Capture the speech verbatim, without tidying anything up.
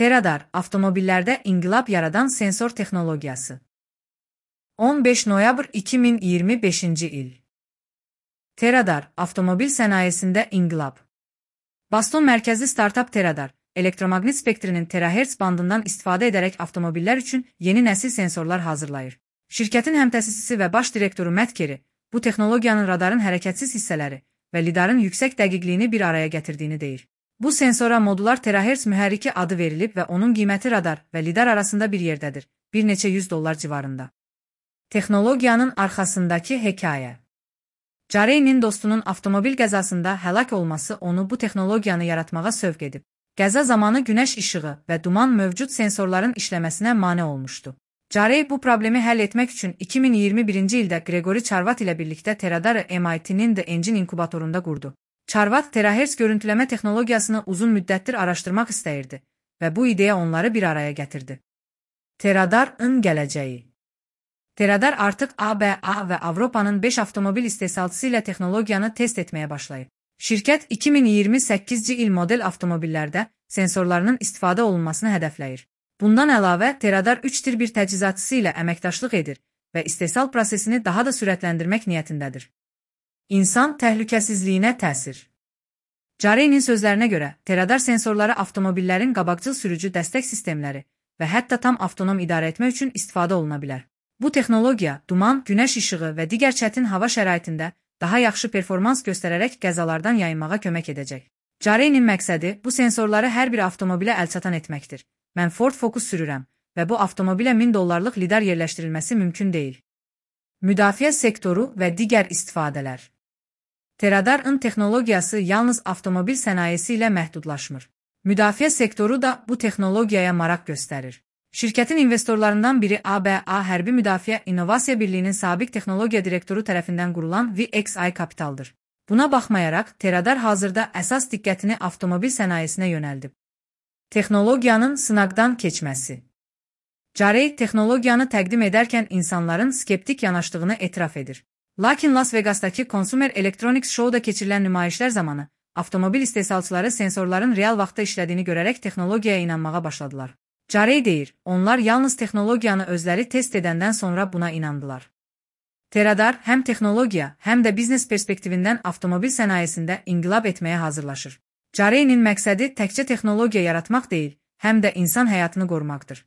Teradar, avtomobillərdə inqilab yaradan sensor texnologiyası. on beş noyabr iki min iyirmi beşinci il. Teradar, avtomobil sənayesində inqilab. Boston mərkəzli startap Teradar, elektromaqnit spektrinin terahertz bandından istifadə edərək avtomobillər üçün yeni nəsil sensorlar hazırlayır. Şirkətin həmtəsisisi və baş direktoru Matt Kerry, bu texnologiyanın radarın hərəkətsiz hissələri və lidarın yüksək dəqiqliyini bir araya gətirdiyini deyir. Bu sensora modular terahertz mühərriki adı verilib və onun qiyməti radar və lidar arasında bir yerdədir, bir neçə yüz dollar civarında. Texnologiyanın arxasındakı hekayə. Jarey'nin dostunun avtomobil qəzasında həlak olması onu bu texnologiyanı yaratmağa sövq edib. Qəza zamanı günəş işığı və duman mövcud sensorların işləməsinə mane olmuşdu. Jarey bu problemi həll etmək üçün iki min iyirmi birinci ildə Gregory Charvat ilə birlikdə Teradarı M I T'nin The Engine inkubatorunda qurdu. Charvat terahertz görüntüləmə texnologiyasını uzun müddətdir araşdırmaq istəyirdi və bu ideya onları bir araya gətirdi. Teradarın gələcəyi. Teradar artıq A B A və Avropanın beş avtomobil istehsalçısı ilə texnologiyanı test etməyə başlayıb. Şirkət iki min iyirmi səkkizinci il model avtomobillərdə sensorlarının istifadə olunmasını hədəfləyir. Bundan əlavə, Teradar üç tir bir təchizatçısı ilə əməkdaşlıq edir və istehsal prosesini daha da sürətləndirmək niyyətindədir. İnsan təhlükəsizliyinə təsir. Jarey'nin sözlərinə görə, Teradar sensorları avtomobillərin qabaqcıl sürücü dəstək sistemləri və hətta tam avtonom idarə etmək üçün istifadə oluna bilər. Bu texnologiya, duman, günəş işığı və digər çətin hava şəraitində daha yaxşı performans göstərərək qəzalardan yayınmağa kömək edəcək. Jarey'nin məqsədi bu sensorları hər bir avtomobilə əlçatan etməkdir. Mən Ford Focus sürürəm və bu avtomobilə min dollarlıq lidar yerləşdirilməsi mümkün deyil. Müdafiə sektoru və digər istifadələr. Teradarın texnologiyası yalnız avtomobil sənayesi ilə məhdudlaşmır. Müdafiə sektoru da bu texnologiyaya maraq göstərir. Şirkətin investorlarından biri A B A Hərbi Müdafiə İnnovasiya Birliyinin sabiq texnologiya direktoru tərəfindən qurulan V X I Capital'dır. Buna baxmayaraq, Teradar hazırda əsas diqqətini avtomobil sənayesinə yönəldib. Texnologiyanın sınaqdan keçməsi. Jarey texnologiyanı təqdim edərkən insanların skeptik yanaşdığını etiraf edir. Lakin Las Vegas'dakı Consumer Electronics Show'da keçirilən nümayişlər zamanı avtomobil istehsalçıları sensorların real vaxtda işlədiyini görərək texnologiyaya inanmağa başladılar. Jarey deyir, onlar yalnız texnologiyanı özləri test edəndən sonra buna inandılar. Teradar həm texnologiya, həm də biznes perspektivindən avtomobil sənayesində inqilab etməyə hazırlaşır. Jarey'nin məqsədi təkcə texnologiya yaratmaq deyil, həm də insan həyatını qorumaqdır.